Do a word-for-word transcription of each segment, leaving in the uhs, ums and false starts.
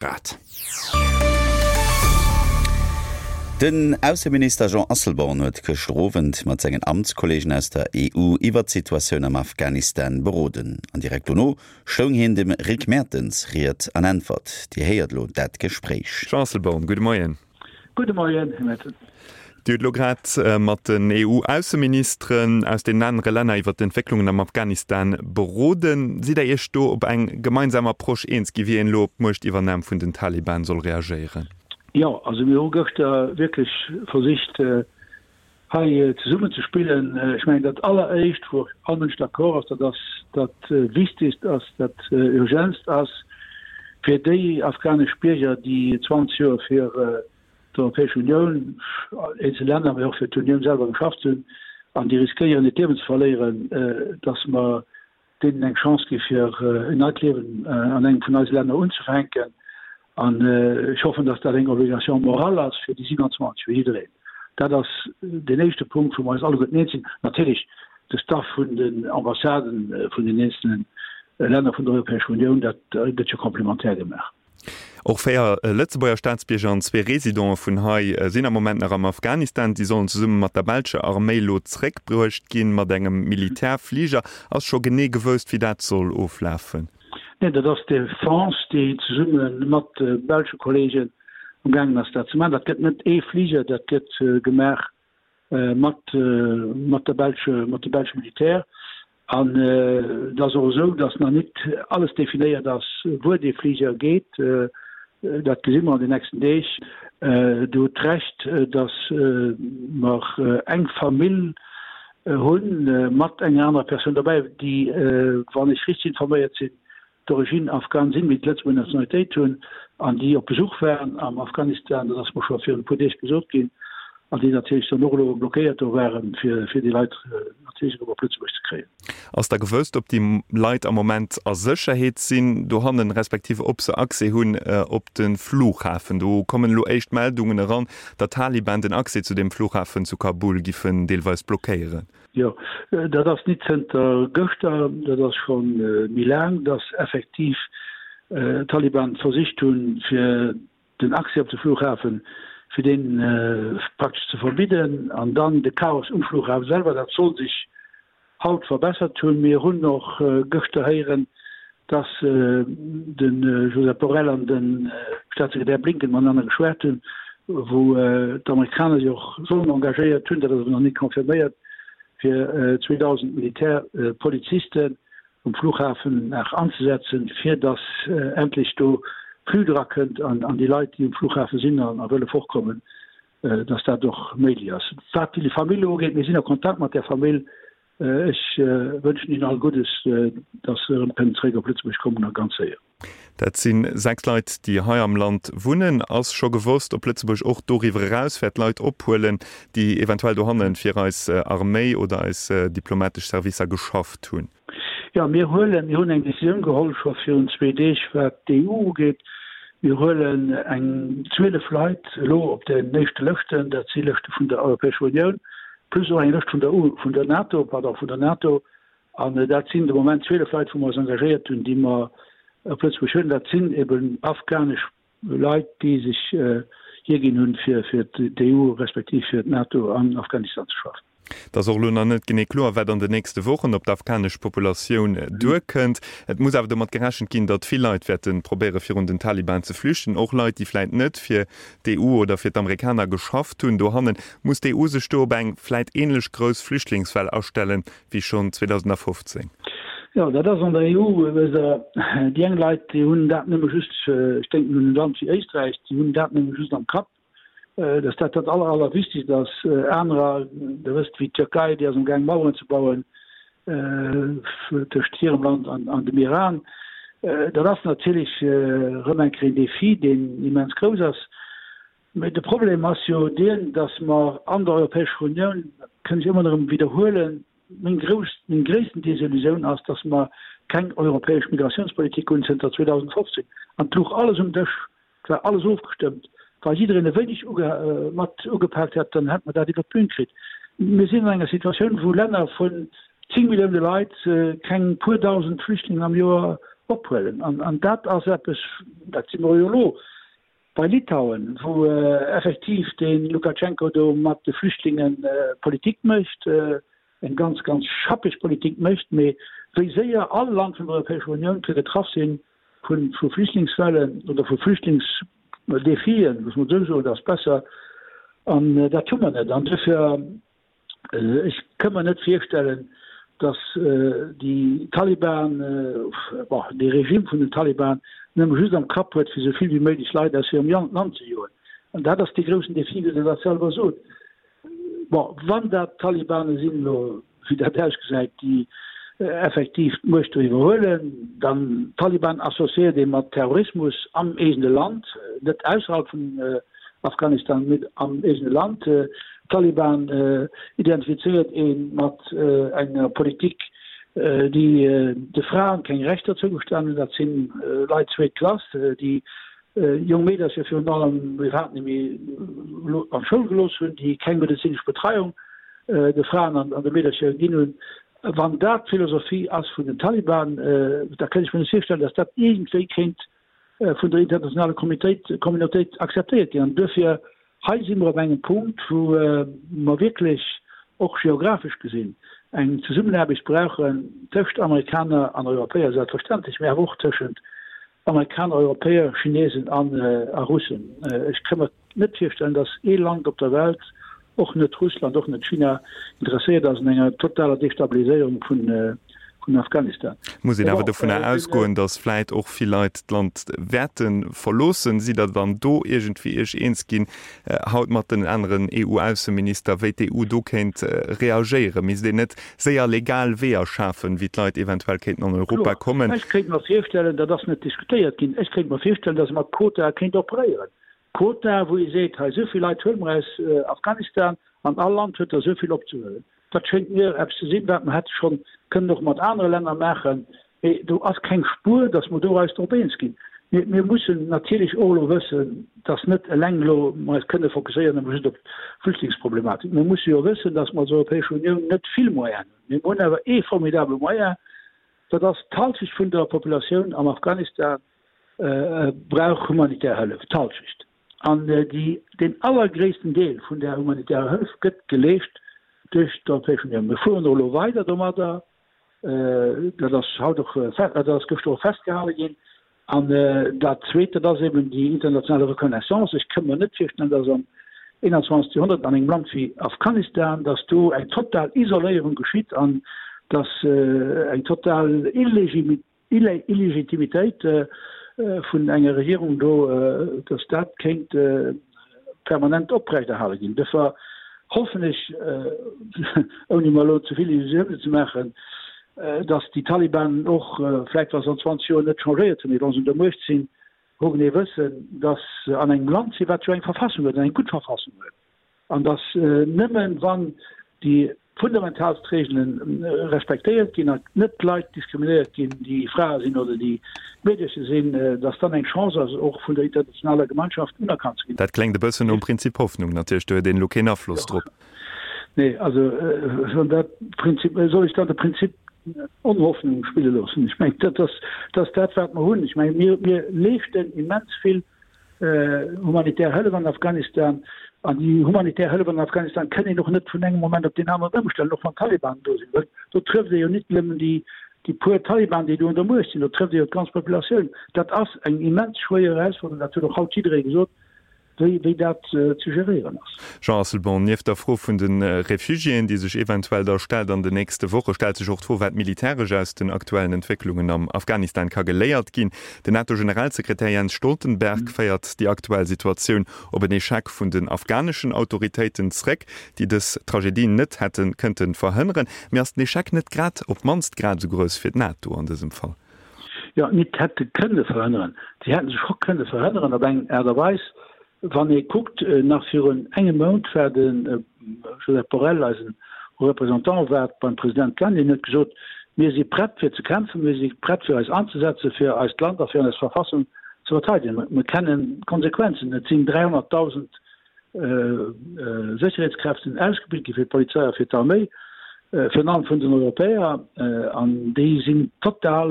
Grad. Den Ausseminister Jean Asselborn huet gëschter Owend mat sengen Amtskolleegen aus der E U iwwer d'Situatioun am Afghanistan beroden. An direkt dono stoung hien dem Rick Mertens Ried an Äntwert. Dir héiert elo dat Gespréich. Jean Asselborn, gudde Moien. Gudde Moien, Här Mertens. Dir hutt elo grad mat den E U-Ausseministeren aus den anere Länner iwwer d'Entwécklungen am Afghanistan beroden. Sidd Der Iech do op eng gemeinsam Approche eens gi wéi een elo op d'Muechtiwwernam vun den Taliban soll reagéieren? Jo, also mir hu gëschter wierklech versicht hei zesummen ze spillen. Ech mengen dat Alleréischt, wou och all Mënsch d'accord ass, dat ass dat Wichtigst ass, dat Urgentst ass, fir déi afghanesch Bierger, déi zwanzeg Joer fir d'Europäesch Unioun, eenzel Länner, mee och fir d'Unioun selwer geschafft hunn an déi riskéieren hiert Liewen ze verléieren, dass mer deenen eng Chance gi fir en neit Liewen an engem vun eise Länner unzefänken. An ech hoffen, dass dat eng Obligation morale ass fir déi siewenundzwanzeg, fir jiddereen. Dat ass deen éischte Punkt, wou mer eis alleguerten eens sinn. Natierlech de Staff vun den Ambassaden vun den eenzelne Länner vun der Europäescher Unioun, dat gëtt jo complémentaire gemaach. Och véier Lëtzebuerger Staatsbierger an zwee Residente vun hei sinn am Moment nach am Afghanistan. Si sollen zesumme mat der belscher Arméi elo zréckbruecht ginn, mat engem Militärfliger. Ass scho genee gewousst, wéi dat soll oflafen? Neen, dat ass d'Defense, déi zesumme mat de belsche Kolleegen am gaangen ass, dat ze maachen. Dat gëtt net ee Fliger, dat gëtt gemaach mat mat der belsche, mat de belsche Militär. An et ass och esou, datt nach net alles definéiert ass, wuer dee Fliger geet. Dat gesi mer an den nächsten Deeg. Dir hutt Recht, datt mer eng Famill hunn, mat enger anerer Persoun dobäi, déi, wann ech richteg informéiert sinn, d'origine afghane sinn, mee d'Lëtzebuerger Nationalitéit hunn an déi op Besuch waren am Afghanistan, dat ass mer scho virun e puer Deeg gesot ginn, an déi natierlech dann och elo blockéiert do waren, fir fir déi Leit natierlech erëm op Lëtzebuerg ze kréien. Ass da gewousst, ob déi Leit am Moment a Sécherheet sinn dohannen, respektiv ob se Accès hunn op de Flughafen? Do kommen elo éischt Meldungen eran, datt d'Taliban den Accès zu deem Flughafen zu Kabul giffen deelweis blockéieren. Jo, dat ass nit zënter gëschter, dat ass scho méi laang, datt effektiv d'Taliban versicht hunn, fir den Accès op de Flughafen, fir dee praktesch ze verbidden. An dann de Chaos um Flughafen selwer, dat soll sech haut verbessert hunn. Mir hunn och gëschter héieren, datt de Josep Borrell an de Staatssekretär Blinken matenaner geschwat hunn, wou d'Amerikaner sech och sollen engagéiert hunn, dat ass awer nach net confirméiert, fir zweedausend Militärpolizisten um Flughafen nach anzesetzen, fir datt endlech do Flux drakënnt an déi Leit, déi um Flughafe sinn a wëlle fortkommen, datt dat och méiglech ass. Wat déi Famill ugeet, mir sinn a Kontakt mat där Famill. Ech wënschen hinnen all Guddes, datt se erëm kënnen zeréck op Lëtzebuerg kommen a ganz séier. Dat si sechs Leit, déi hei am Land wunnen. Ass scho gewosst, ob Lëtzebuerg och doriwwer eraus wäert Leit ophuelen, déi eventuell dohanne fir eis Arméi oder eis diplomatesch Servicer geschafft hunn? Jo, mir huelen, mir hunn eng Décisioun geholl scho virun zwee Deeg, wat d'E U ugeet. Mir huelen eng zwielef Leit elo op den éischte Lëschten, dat si Lëschte vun der Europäescher Unioun, plus och eng Lëscht vun der U, vun der NATO, pardon, vun der NATO. An dat sinn de Moment zwielef Leit, wou mer eis engagéiert hunn, déi mer op Lëtzebuerg huelen. Dat sinn eben afghanesch Leit, déi sech hierginn hunn, fir fir d'E U respektiv fir d'NATO an Afghanistan ze schaffen. Et ass och elo nach net genee kloer, wat an den nächste Wochen op d'afghanesch Populatioun duerkënnt. Et muss awer domat gerechent ginn, datt vill Leit wäerte probéiere virun den Taliban ze flüchten, och Leit, déi vläit net fir d'E U oder fir d'Amerikaner geschafft hunn. Dohannen muss d'E U sech do op eng vläit änlech grouss Flüchtlingswell astellen, wéi schonn zweedausendafofzéng. Jo, dat ass an der E U, wësst Der, déi eng Leit, déi hunn dat nëmme just, ech denken un e Land wéi Éisträich, déi hunn dat nëmme just am Kapp, dass dat dat aller, allerwichtigst ass. Anerer, Der wësst, wéi d'Türkei, déi ass amgaang Maueren ze bauen tëscht hirem Land an, an dem Iran. Dat ass natierlech erëm eng Kéier een Défi, deen immens grouss ass. Mä de Problem ass jo deen, dass mer an der Europäescher Unioun, dat kënn ech ëmmer erëm widderhuelen, meng grouss, meng gréissten Desillusioun ass, dass mer keng europäesch Migrationspolitik hunn zënter zweedausendfofzéng. An et louch alles um Dësch. Et war alles ofgestëmmt. Wa jiddereen e wéineg mat ugepaakt hätt, dann hätt mer dat iwwert d'Bün kritt. Mir sinn an enger Situatioun, wou Länner vun zéng Millioune Leit keng puer dausend Flüchtlingen am Joer ophuelen. An, an dat ass eppes, dat si mer jo elo bei Litauen, wou effektiv de Lukaschenko do mat de Flüchtlinge Politik mécht, eng ganz, ganz schappeg Politik mécht, mee wéi séier all Land vun der Europäescher Unioun ka getraff si vu Flüchtlingswellen oder vu Flüchtlingsdefien, muss mer esou soen, dat ass besser, an dat hu mer net. An duerfir, ech ka mer net virstellen, datt déi Taliban, bon, dee Regime vun den Taliban nëmme just am Kapp huet, fir esou vill wéi méiglech Leit aus hirem Land ze joen. An dat ass dee groussen Defi, wéi Der dat selwer sot. Bon, wann dat d'Talibane sinn elo, wéi dat ausgesäit, déi effektiv d'Muecht do iwwerhuelen, dann d'Taliban associéiert ee mat Terrorismus am eegene Land, net ausserhalb vun Afghanistan, mee am eegene Land. D'Taliban identifizéiert ee mat enger Politik, déi de Fraen keng Rechter zougestane hunn. Dat si Leit zweet Klass, déi jonk Meedercher virun allem iwwerhaapt net méi an d'Schoul gelooss hunn, déi keng medezinesch Betreiung de Fraen an de Meedercher ginn hunn. Wann dat d'Philosophie ass vun den Taliban, da kéint ech mir net virstellen, datt dat iergendwéi kéint vun der internationaler Communautéit akzeptéiert ginn. An duerfir, hei si mer op engem Punkt, wou mer wierklech och geographesch gesinn eng Zesummenaarbecht brauchen tëscht Amerikaner an Europäer selbstverständlech, mä awer och tëschent Amerikaner, Europäer, Chinesen a Russen. Ech ka mer net virstellen, datt ee Land op der Welt, och net Russland, och net China, interesséiert ass un enger totaler Destabiliséierung vun Afghanistan. Muss een awer dovunner ausgoen, datt vläit och vill Leit d'Land wäerte verloossen. Sidd Der dann do iergendwéi Iech eens ginn haut mat den aneren EU-Ausseminister, wéi d'EU do kéint reagéieren? Misst een net séier legal Weeër schafen, wéi d'Leit eventuell kéinten an Europa kommen? Ech kéint mer virstellen, dat ass net diskutéiert ginn, ech kéint mer virstellen, datt ee mat Quotae kéint operéieren. Quotae, wou ee seet, hei esou vill Leit huele mer aus Afghanistan an all Land huet der esou vill opzehuelen. Dat schéngt mir eppes ze sinn, wat mer hätte schonn kënnen och mat anere Länner maachen. Mee do ass keng Spuer, datt mer do eis drop eens ginn. Mir, mir mussen natierlech och elo wëssen, datt net eleng elo mer eis kënne fokusséieren nëmme just op d'Flüchtlingsproblematik. Mir musse jo wëssen, datt mer als Europäesch Unioun net vill Moyenen hunn. Mir hunn awer ee formidabele Moyen, dat ass d'Halschecht vun der Populatioun am Afghanistan brauch humanitär Hëllef, d'Halschecht. An déi, deen allergréissten Deel vun där humanitärer Hëllef gëtt geleescht duerch d'Europäesch Unioun. Mir fueren och elo weider domadder, dat ass haut och, dat ass gëschter och festgehale ginn. An dat Zweet, dat ass eben déi internationale Reconnaissance. Ech ka mer net virstellen, dass am einundzwanzegste Joerhonnert an engem Land wéi Afghanistan, dass do eng total Isoléierung geschitt an dass eng total Illegitimitéit vun enger Regierung do, dass dat kéint permanent oprechterhale ginn. Duerfir hoffen ech, ouni mer elo ze vill Illusiounen ze maachen, dass déi Taliban och, vläicht wa se an zwanzeg Joer net changéiert hunn, mee wa se un der Muecht sinn, hogenee wëssen, dass se an engem Land sinn, wat jo eng Verfassung huet, an eng gutt Verfassung huet, an dass nëmmen, wann déi fundamentalst Regele respektéiert ginn an net d'Leit diskriminéiert ginn, déi Frae sinn oder déi Meedercher sinn, dass dann eng Chance ass, och vun der internationaler Gemeinschaft unerkannt ze ginn. Dat kléngt e bëssen nom Prinzip Hoffnung natierlech, do huet een elo keen Afloss drop. Nee, also wann dat Prinzip, soll ech dann de Prinzip Onhoffnung spille loossen? Ech mengen, dat ass, dat ass dat, wat mer hunn. Ech mengen, mir, mir leeschten immens vill humanitär Hëllef an Afghanistan. An déi humanitär Hëllef an Afghanistan kënn een och net vun engem Moment op deen aneren ëmstellen, och wann d'Taliban do sinn. Well do trëfft ee jo net nëmmen déi, déi puer Taliban, déi do un der Muecht sinn, do trëfft ee jo d'ganz Populatioun. Dat ass eng immens schwéier Erausforderung, dat huet och haut jidderee gesot, wéi, wéi dat ze geréieren ass. Jean Asselborn, Nieft der Fro vun de Refugiéen, déi sech eventuell da stellt an den nächste Woche, stellt sech och d'Fro, wat militäresch aus den aktuellen Entwécklungen am Afghanistan ka geléiert ginn. Den NATO-Generalsekretär Jens Stoltenberg féiert déi aktuell Situatioun op en Echec vun den afghaneschen Autoritéiten zréck, déi dës Tragedie net hätte kënnte verhënneren. Mee ass den Echec net grad op d'mannst grad esou grouss fir d'NATO an dësem Fall? Jo, net hätte kënne verhënneren. Si hätte se scho kënne verhënneren op eng Aart a Weis. Wann ee kuckt, nach virun engem Mount war de Josep Borrell, eisen Haut Représentant, war beim President Ghani an huet gesot, Mir si prett fir ze kämpfen, mir si prett fir eis anzesetzen, fir eist Land a fir eis Verfassung ze verteidegen. Mir kennen d'Konsequenzen. Et sinn dräihonnertdausend Sécherheetskräften ausgebilt gi fir d'Polizei a fir d'Arméi. virun allem vun den Europäer, an déi sinn total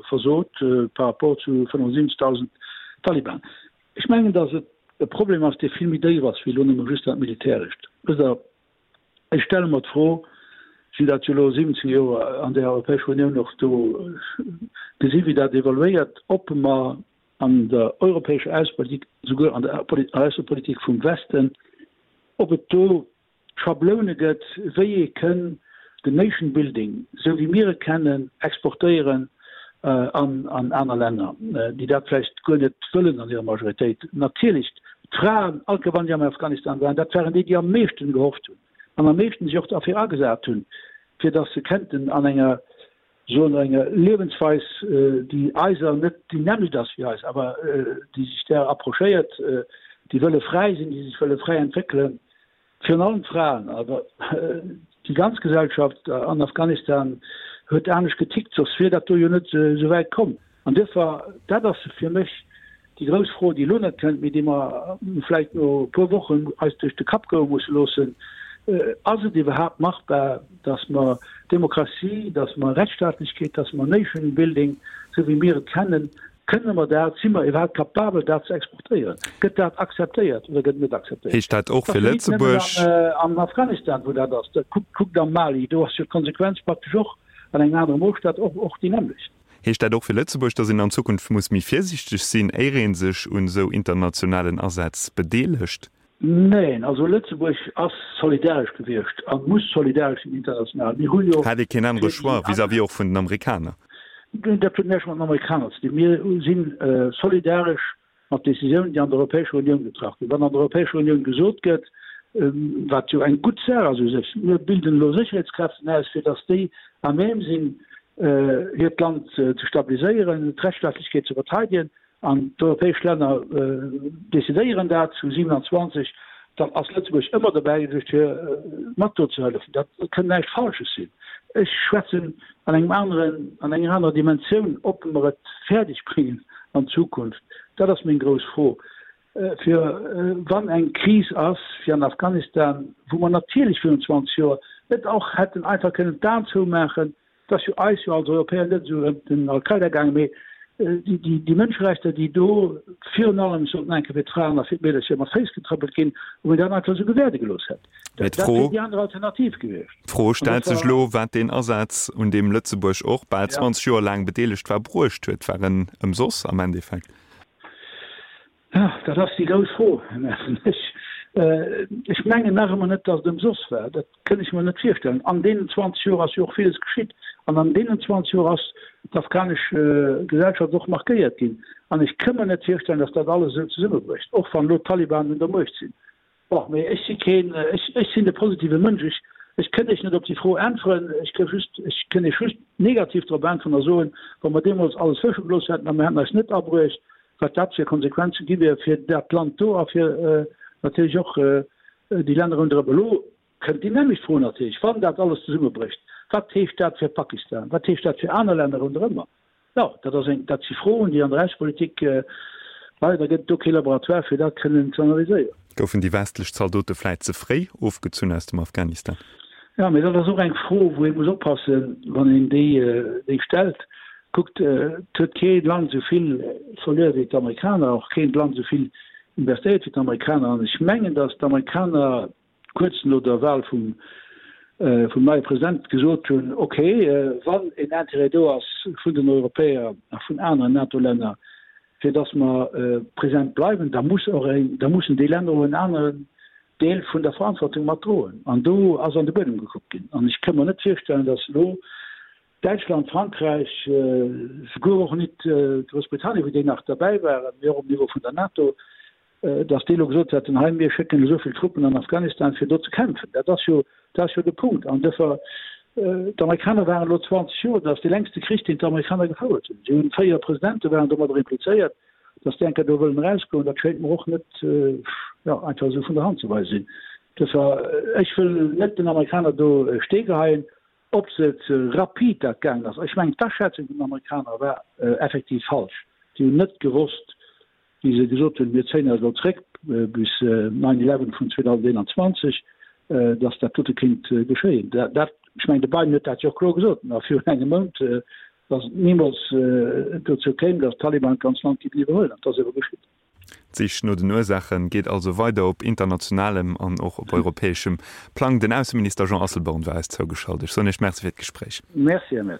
versot par rapport zu fënnefundsiwwenzegdausend Taliban. Ech mengen, datt et e Problem ass, dee vill méi déif ass wéi elo nëmme just dat Militärescht. Wësst Der, ech stelle mer d'Fro, ech hunn dat jo elo siwwenzéng Joer an der Europäescher Unioun och do gesi wéi dat evoluéiert, ob mer an der europäescher Aussepolitik, souguer an der Aussepolitik vum Westen, ob et do Schabloune gëtt, wéi ee kënn den Nation Building, esou wéi mir e kennen, exportéieren an aner Länner, déi dat vläicht guer net wëllen an hirer Majoritéit. Natierlech, d'Fraen, all Kéier wann déi am Afghanistan waren, dat waren déi, déi am meeschten gehofft hunn an am meeschten sech och derfir agesat hunn, fir datt se kënnten an enger, soen mer, enger Liewensweis, déi eiser net déi nämmlecht ass wéi eis, awer déi sech där approchéiert, déi wëlle fräi sinn, déi sech wëlle fräi entwéckelen, Virun allem d'Fraen, awer déi ganz Gesellschaft an Afghanistan huet anescht getickt, soss wier dat do jo net esou wäit komm. An duerfir, dat ass fir mech déi grouss Fro, déi elo net kënnt, mee déi mer vläicht no e puer Wochen eis duerch de Kapp goe musse loossen, Ass et iwwerhaapt machbar, datt mer Demokratie, datt mer Rechtsstaatlechkeet, datt mer Nation Building, esou wéi mir et kennen, Kënne mer dat, si mer iwwerhaapt capabel, dat ze exportéieren? Gëtt dat akzeptéiert oder gëtt et net akzeptéiert? Heescht dat och fir Lëtzebuerg? Dat ass jo net nëmmen an Afghanistan, wou dat ass. Kuckt, kuckt am Mali, do ass jo d'Konsequenz praktesch och an engem anere Moosstab och, och déi nämmlecht. Heescht dat och fir Lëtzebuerg, datt een an Zukunft muss méi virsiichteg sinn, éier ee sech un esou internationalen Asätz bedeelegt? Neen, also Lëtzebuerg ass solidaresch gewiescht a muss solidaresch sinn international. Mir hu jo Hat ee keen anere fir déi Choix vis-à-vis och vun den Amerikaner? Dat huet näischt mat den Amerikaner ze dinn. Mir si solidaresch mat Decisiounen, déi an der Europäescher Unioun getraff ginn. Wann an der Europäescher Unioun gesot gëtt, wat jo eng gutt Saach ass u sech, mir bilden elo Sécherheetskräften aus, fir datt déi à même sinn, hiert Land ze stabiliséieren, d'Rechtsstaatlechkeet ze verteidegen, an d'europäesch Länner decidéieren dat zu siewenundzwanzeg, dann ass Lëtzebuerg ëmmer dobäi gewiescht, fir mat do ze hëllefen. Dat kënnt näischt Falsches sinn. Ech schwätzen an engem aneren, an enger anerer Dimensioun, ob mer et fäerdeg bréngen an Zukunft, dat ass meng grouss Fro, fir wann eng Kris ass wéi an Afghanistan, wou mer natierlech virun zwanzeg Joer net och hätten einfach kënnen d'Aen zoumaachen, Et ass jo eis jo als Europäer net esou ëm den Al-Qaida gaangen, mee déi Mënscherechter, déi do virun allem, sollten eng Kéier fir d'Fraen a fir d'Meedercher mat Féiss getrëppelt ginn, ob een dat einfach esou gewäerde gelooss hätt. Mee Dat wier déi aner Alternativ gewiescht. D'Fro An stellt dat sech war. elo, wat deen Asaz, un deem Lëtzebuerg och bal Ja. zwanzeg Joer laang bedeelegt war, bruecht huet. War en ëmsoss am Endeffekt? Jo, dat ass déi grouss Fro, Här Merten. Ech, ech mengen nach ëmmer net, datt et ëmsoss war. Dat kënn ech mer net virstellen. An deenen zwanzeg Joer ass jo och villes geschitt. An an deenen zwanzeg Joer ass d'afghanesch Gesellschaft och markéiert ginn. An ech kënn mer net virstellen, datt dat alles esou zesummebrécht, och wann elo d'Taliban un der Muecht sinn. Bon, mee ech si keen, ech, ech sinn de positive Mënsch. Ech, ech kënn Iech net op déi Fro äntweren. Ech kënn just, ech kënn Iech just negativ drop äntweren a soen, wa mer deemools alles wësche gelooss hätten a mer hätten eis net abruecht, wat dat fir Konsequenze gi wier fir dat Land do a fir natierlech och déi Länner ronderëm. Elo kënnt déi nämmlecht Fro natierlech, Wann dat alles zesummebrécht, wat heescht dat fir Pakistan, wat heescht dat fir aner Länner ronderëmmer? Jo, dat ass eng, dat si Froen, déi an der Aussepolitik, leider gëtt et do kee Laboratoire fir dat kënnen ze analyséieren. Goufen déi westlech Zaldote vläit ze fréi ofgezunn aus dem Afghanistan? Jo, mee dat ass och eng Fro, wou ee muss oppassen, wann een déi stellt. Kuckt, et huet kee Land esou vill verluer wéi d'Amerikaner, och keen Land esou vill investéiert wéi d'Amerikaner. An ech mengen, datt d'Amerikaner kuerz no der Wahl vum neie President gesot hunn, okay, wann een Intérêt do ass vun den Europäer a vun aneren NATO-Länner, fir datt mer present bleiwen, da muss och een, da mussen déi Länner och en aneren Deel vun der Verantwortung mat droen. An do ass an de Buedem gekuckt ginn. An ech ka mer net virstellen, datt elo Däitschland, Frankräich, souguer och nit Groussbritannien, wou déi nach derbäi waren, mee och um Niveau vun der NATO, datt déi elo gesot hätten, hei mir schécken esou vill Truppen an Afghanistan fir do ze kämpfen. Dat ass jo, dat ass jo de Punkt. An duerfir, d'Amerikaner waren elo zwanzeg Joer, dat ass dee längste Krich, deen d'Amerikaner gefouert hunn. Si hunn véier Presidente waren domadder implizéiert. Datt déi eng Kéier do wëllen erausgoen, dat schéngt mer och net, jo, einfach esou vun der Hand ze weisen sinn. Duerfir, ech wëll net den Amerikaner do e Stee geheien. Ob se ze rapid dat gaangen ass, ech mengen d'Aschätzung vun den Amerikaner war effektiv falsch. Si hunn net gewosst, wéi se gesot hunn, mir zéien eis elo zréck bis nine eleven vun zweedausendeenanzwanzeg, datt dat dote kéint geschéien. Dat Ech mengen, de Biden huet dat jo och kloer gesot, nach virun engem Mount, datt et nimools dozou kéim, datt d'Taliban d'ganz Land géifen iwwerhuelen. An et ass ebe geschitt. D'Sich no den Ursaache geet also weider op internationalem an och op europäeschem Plang. Den Ausseminister Jean Asselborn war eis zougeschalt. Ech soen Iech Merci fir d'Gespréich. Merci, Här Mertens.